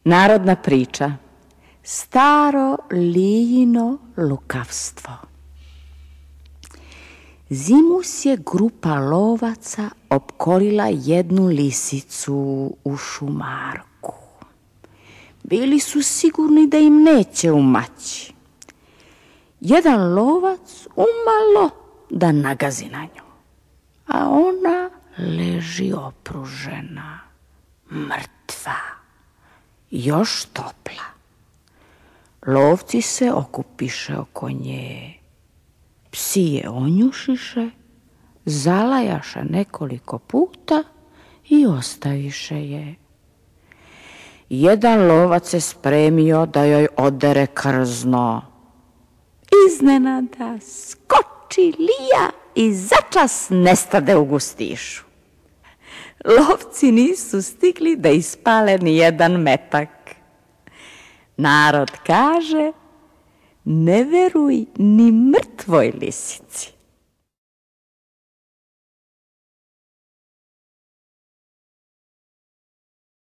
Narodna priča. Staro lijino lukavstvo. Zimus je grupa lovaca opkolila jednu lisicu u šumarku. Bili su sigurni da im neće umaći. Jedan lovac umalo da nagazi na nju, a ona leži opružena, mrtva, još topla. Lovci se okupiše oko nje, psi je onjušiše, zalajaše nekoliko puta i ostaviše je. Jedan lovac se spremio da joj odere krzno. Iznenada skoči lija i začas nestade u gustišu. Lovci nisu stigli da ispale ni jedan metak. Narod kaže, ne veruj ni mrtvoj lisici.